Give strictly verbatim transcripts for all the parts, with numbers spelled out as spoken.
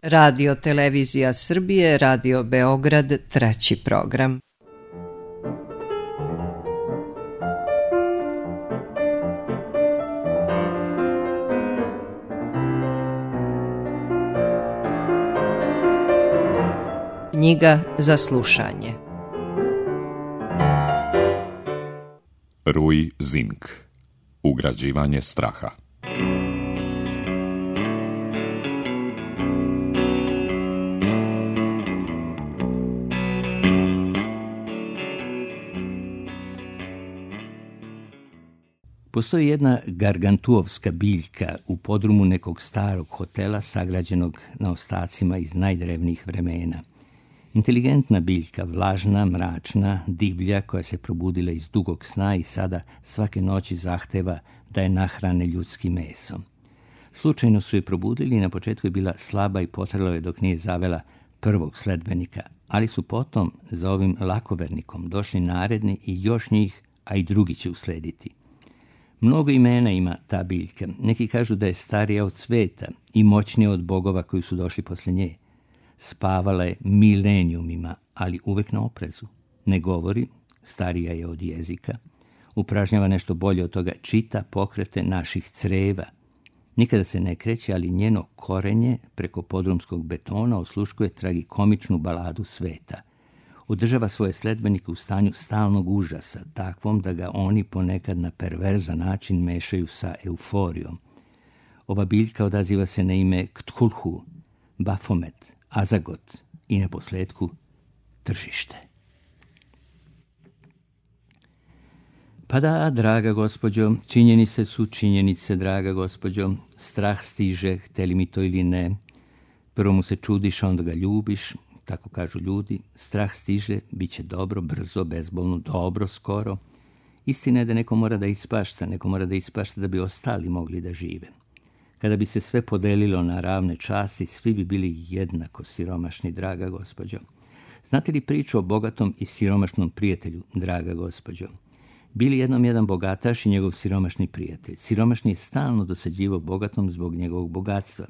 Radio Televizija Srbije, Radio Beograd, treći program. Knjiga za slušanje. Rui Zink. Ugrađivanje straha. Postoji jedna gargantuovska biljka u podrumu nekog starog hotela sagrađenog na ostacima iz najdrevnijih vremena. Inteligentna biljka, vlažna, mračna, divlja koja se probudila iz dugog sna i sada svake noći zahteva da je nahrane ljudskim mesom. Slučajno su je probudili i na početku je bila slaba i potrela je dok nije zavela prvog sledbenika, ali su potom za ovim lakovernikom došli naredni i još njih, a i drugi će uslediti. Mnogo imena ima ta biljka. Neki kažu da je starija od sveta i moćnija od bogova koji su došli posle nje. Spavala je milenijumima, ali uvek na oprezu. Ne govori, starija je od jezika. Upražnjava nešto bolje od toga, čita pokrete naših creva. Nikada se ne kreće, ali njeno korenje preko podrumskog betona osluškuje tragikomičnu baladu sveta. Održava svoje sledbenike u stanju stalnog užasa, takvom da ga oni ponekad na perverzan način mešaju sa euforijom. Ova biljka odaziva se na ime Ktulhu, Bafomet, Azagot i na posljedku tržište. Pa da, draga gospođo, činjenice su činjenice, draga gospođo. Strah stiže, hteli mi to ili ne. Prvo mu se čudiš, a onda ga ljubiš. Tako kažu ljudi, strah stiže, bit će dobro, brzo, bezbolno, dobro, skoro. Istina je da neko mora da ispašta, neko mora da ispašta da bi ostali mogli da žive. Kada bi se sve podelilo na ravne časti, svi bi bili jednako siromašni, draga gospođo. Znate li priču o bogatom i siromašnom prijatelju, draga gospođo? Bili jednom jedan bogataš i njegov siromašni prijatelj. Siromašni je stalno dosađivao bogatom zbog njegovog bogatstva.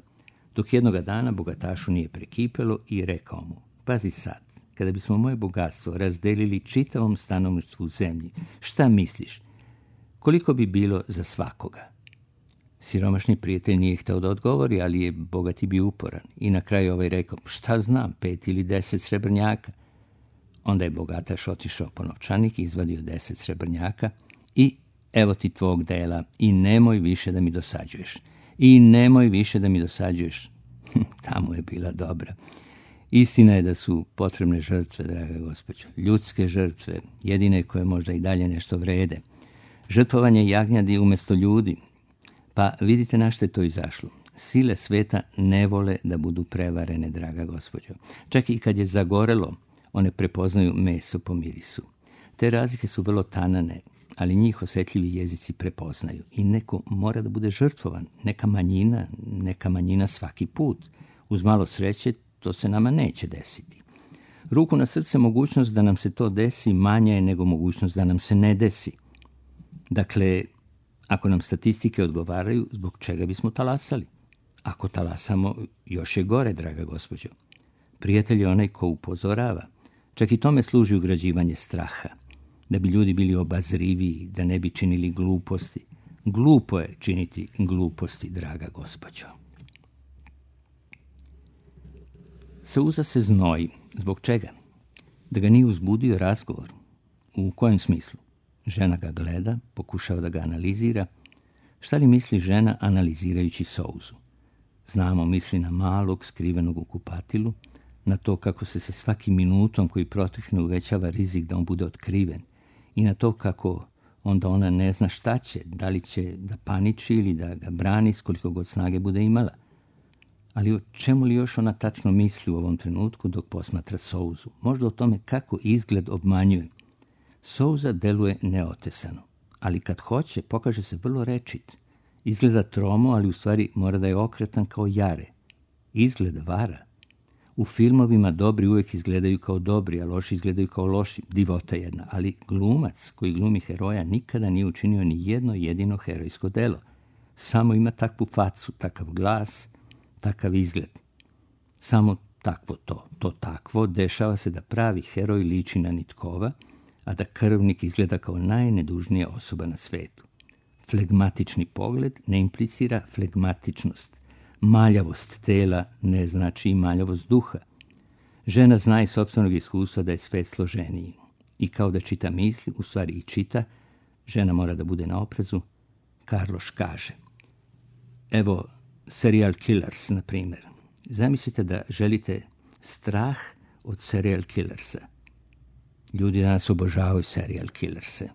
Dok jednoga dana bogatašu nije prekipelo i rekao mu: pazi sad, kada bismo moje bogatstvo razdelili čitavom stanovništvu u zemlji, šta misliš? Koliko bi bilo za svakoga? Siromašni prijatelj nije hteo da odgovori, ali je bogati bio uporan. I na kraju ovaj rekao: šta znam, pet ili deset srebrnjaka. Onda je bogataš otišao po novčanik, izvadio deset srebrnjaka i evo ti tvog dela i nemoj više da mi dosađuješ. I nemoj više da mi dosađuješ. Tamo je bila dobra. Istina je da su potrebne žrtve, draga gospođo. Ljudske žrtve, jedine koje možda i dalje nešto vrede. Žrtvovanje jagnjadi umjesto ljudi. Pa vidite na što je to izašlo. Sile sveta ne vole da budu prevarene, draga gospođo. Čak i kad je zagorelo, one prepoznaju meso po mirisu. Te razlike su vrlo tanane, ali njih osjetljivi jezici prepoznaju. I neko mora da bude žrtvovan. Neka manjina, neka manjina svaki put. Uz malo sreće to se nama neće desiti. Ruku na srce, mogućnost da nam se to desi manja je nego mogućnost da nam se ne desi. Dakle, ako nam statistike odgovaraju, zbog čega bismo talasali? Ako talasamo, još je gore, draga gospođo. Prijatelj je onaj ko upozorava. Čak i tome služi ugrađivanje straha. Da bi ljudi bili obazriviji, da ne bi činili gluposti. Glupo je činiti gluposti, draga gospođo. Sauza se znoji. Zbog čega? Da ga nije uzbudio razgovor. U kojem smislu? Žena ga gleda, pokušava da ga analizira. Šta li misli žena analizirajući Sauzu? Znamo, misli na malog, skrivenog u kupatilu, na to kako se sa svakim minutom koji protekne uvećava rizik da on bude otkriven i na to kako onda ona ne zna šta će, da li će da paniči ili da ga brani s koliko god snage bude imala. Ali o čemu li još ona tačno misli u ovom trenutku dok posmatra Sauzu? Možda o tome kako izgled obmanjuje. Sauza deluje neotesano, ali kad hoće pokaže se vrlo rečit. Izgleda tromo, ali u stvari mora da je okretan kao jare. Izgleda vara. U filmovima dobri uvijek izgledaju kao dobri, a loši izgledaju kao loši. Divota jedna. Ali glumac koji glumi heroja nikada nije učinio ni jedno jedino herojsko delo. Samo ima takvu facu, takav glas, takav izgled. Samo takvo to, to takvo, dešava se da pravi heroj liči na nitkova, a da krvnik izgleda kao najnedužnija osoba na svetu. Flegmatični pogled ne implicira flegmatičnost. Maljavost tela ne znači i maljavost duha. Žena zna iz sopstvenog iskustva da je svet složeniji. I kao da čita misli, u stvari i čita, žena mora da bude na oprezu. Karloš kaže: evo, serial killers, na primjer. Zamislite da želite strah od serial killersa. Ljudi danas obožavaju serial killerse.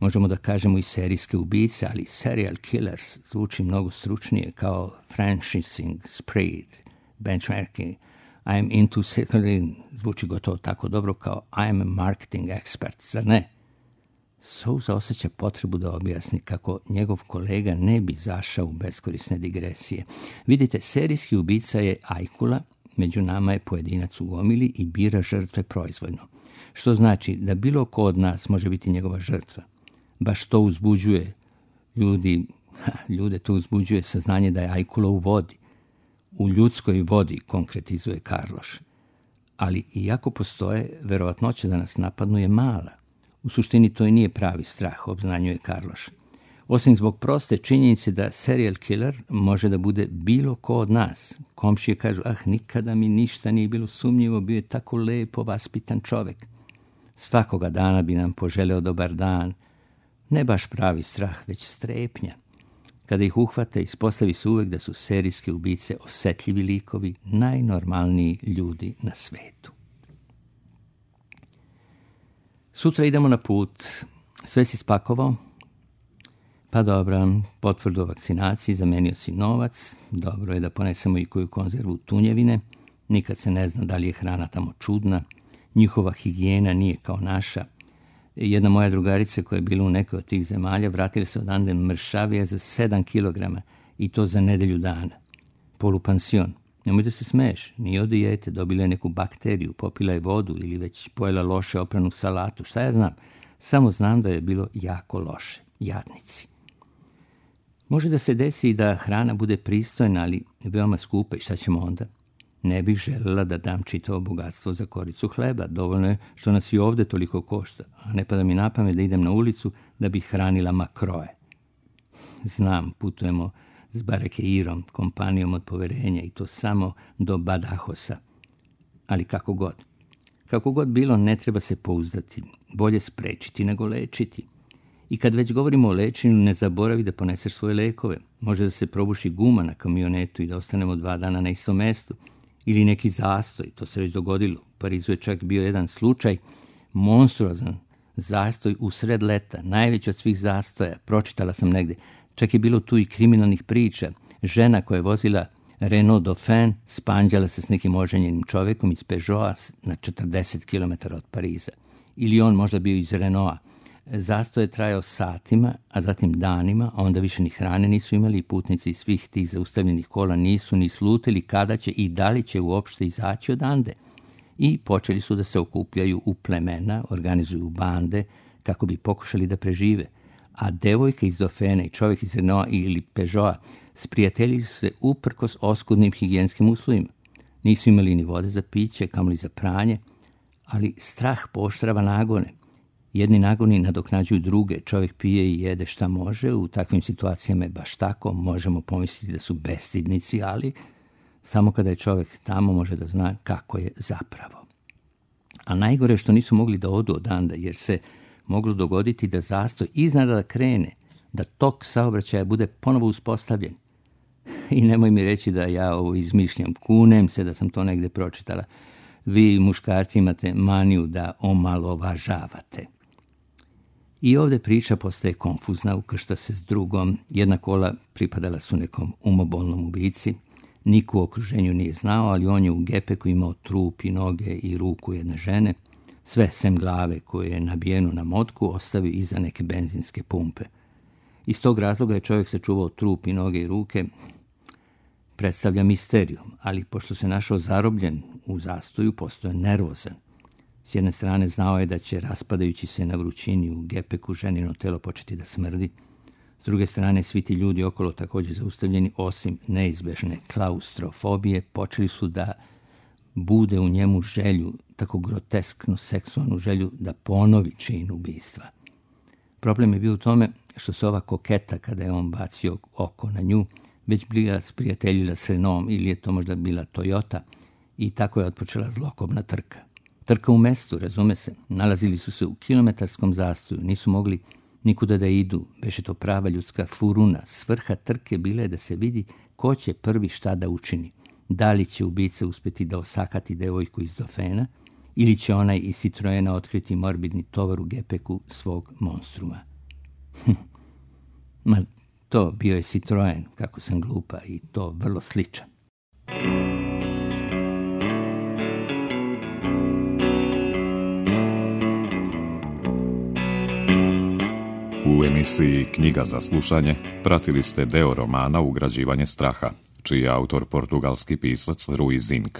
Možemo da kažemo i serijske ubice, ali serial killers zvuči mnogo stručnije, kao franchising spread, benchmarking. I am into settling zvuči gotovo tako dobro kao I am a marketing expert, zar ne? Sousa osjeća potrebu da objasni kako njegov kolega ne bi zašao u beskorisne digresije. Vidite, serijski ubica je ajkula, među nama je pojedinac u gomili i bira žrtve proizvoljno. Što znači da bilo ko od nas može biti njegova žrtva. Baš to uzbuđuje ljudi, ha, ljude to uzbuđuje saznanje da je ajkula u vodi. U ljudskoj vodi, konkretizuje Karloš. Ali iako postoje, verovatnoća da nas napadnu je mala. U suštini to i nije pravi strah, obznanjuje Karloš. Osim zbog proste činjenice da serial killer može da bude bilo ko od nas. Komšije kažu: ah, nikada mi ništa nije bilo sumnjivo, bio je tako lepo vaspitan čovek. Svakoga dana bi nam poželeo dobar dan. Ne baš pravi strah, već strepnja. Kada ih uhvate, ispostavi se uvek da su serijske ubice osetljivi likovi, najnormalniji ljudi na svetu. Sutra idemo na put. Sve si spakovao? Pa dobro, potvrdu o vakcinaciji, zamenio si novac, dobro je da ponesemo i koju konzervu tunjevine, nikad se ne zna da li je hrana tamo čudna, njihova higijena nije kao naša. Jedna moja drugarica koja je bila u nekoj od tih zemalja vratila se odande mršavija za sedam kilograma i to za nedelju dana. Polupansion. Nemoj da se smeješ, nije od dijete, dobila je neku bakteriju, popila je vodu ili već pojela loše opranu salatu. Šta ja znam? Samo znam da je bilo jako loše. Jadnici. Može da se desi i da hrana bude pristojna, ali veoma skupa, i šta ćemo onda? Ne bih željela da dam čitavo bogatstvo za koricu hleba. Dovoljno je što nas i ovde toliko košta, a ne pada mi na pamet da idem na ulicu da bih hranila makroe. Znam, putujemo s Barekeirom, kompanijom od poverenja, i to samo do Badajosa. Ali kako god. Kako god bilo, ne treba se pouzdati. Bolje sprečiti nego lečiti. I kad već govorimo o lečenju, ne zaboravi da poneseš svoje lekove. Može da se probuši guma na kamionetu i da ostanemo dva dana na istom mestu. Ili neki zastoj, to se već dogodilo. U Parizu je čak bio jedan slučaj, monstruozan zastoj usred leta, najveći od svih zastoja, pročitala sam negde. Čak je bilo tu i kriminalnih priča. Žena koja je vozila Renault Dauphin spanđala se s nekim oženjenim čovekom iz Peugeota na četrdeset kilometara od Pariza. Ili on možda bio iz Renaulta. Zastoj je trajao satima, a zatim danima, a onda više ni hrane nisu imali i putnici iz svih tih zaustavljenih kola nisu ni slutili kada će i da li će uopšte izaći odande. I počeli su da se okupljaju u plemena, organizuju bande kako bi pokušali da prežive. A devojka iz Dauphina i čovjek iz Renaulta ili Peugeota sprijateljili su se uprkos oskudnim higijenskim uslovima. Nisu imali ni vode za piće, kamoli za pranje, ali strah pooštrava nagone. Jedni nagoni nadoknađuju druge, čovjek pije i jede šta može, u takvim situacijama je baš tako, možemo pomisliti da su bestidnici, ali samo kada je čovjek tamo može da zna kako je zapravo. A najgore je što nisu mogli da odu odanda, jer se moglo dogoditi da zastoj iznenada krene, da tok saobraćaja bude ponovo uspostavljen. I nemoj mi reći da ja ovo izmišljam, kunem se da sam to negde pročitala. Vi, muškarci, imate maniju da omalovažavate. I ovdje priča postaje konfuzna, ukršta se s drugom. Jedna kola pripadala su nekom umobolnom ubici. Niko u okruženju nije znao, ali on je u gepeku imao trup i noge i ruku jedne žene. Sve sem glave koje je nabijenu na motku ostavio iza neke benzinske pumpe. Iz tog razloga je čovjek sačuvao trup i noge i ruke. Predstavlja misteriju, ali pošto se našao zarobljen u zastoju, postoje nervozan. S jedne strane znao je da će, raspadajući se na vrućini u gepeku, ženino telo početi da smrdi. S druge strane, svi ti ljudi okolo također zaustavljeni, osim neizbežne klaustrofobije, počeli su da bude u njemu želju, tako groteskno seksualnu želju, da ponovi čin ubistva. Problem je bio u tome što se ova koketa, kada je on bacio oko na nju, već bila sprijateljila s Renaultom, ili je to možda bila Toyota, i tako je otpočela zlokobna trka. Trka u mestu, razume se, nalazili su se u kilometarskom zastoju, nisu mogli nikuda da idu, beše to prava ljudska furuna. Svrha trke bila je da se vidi ko će prvi šta da učini. Da li će ubica uspjeti da osakati devojku iz Dofena, ili će onaj iz Citroena otkriti morbidni tovar u gepeku svog monstruma. Hm. Ma to bio je Citroen, kako sam glupa, i to vrlo sličan. U emisiji Knjiga za slušanje pratili ste deo romana Ugrađivanje straha, čiji je autor portugalski pisac Rui Zinck.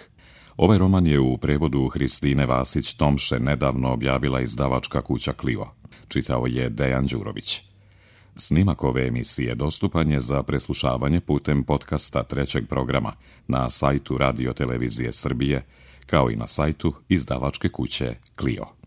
Ovaj roman je u prevodu Hristine Vasić-Tomše nedavno objavila izdavačka kuća Clio. Čitao je Dejan Đurović. Snimak ove emisije dostupan je za preslušavanje putem podcasta trećeg programa na sajtu Radio Televizije Srbije, kao i na sajtu izdavačke kuće Clio.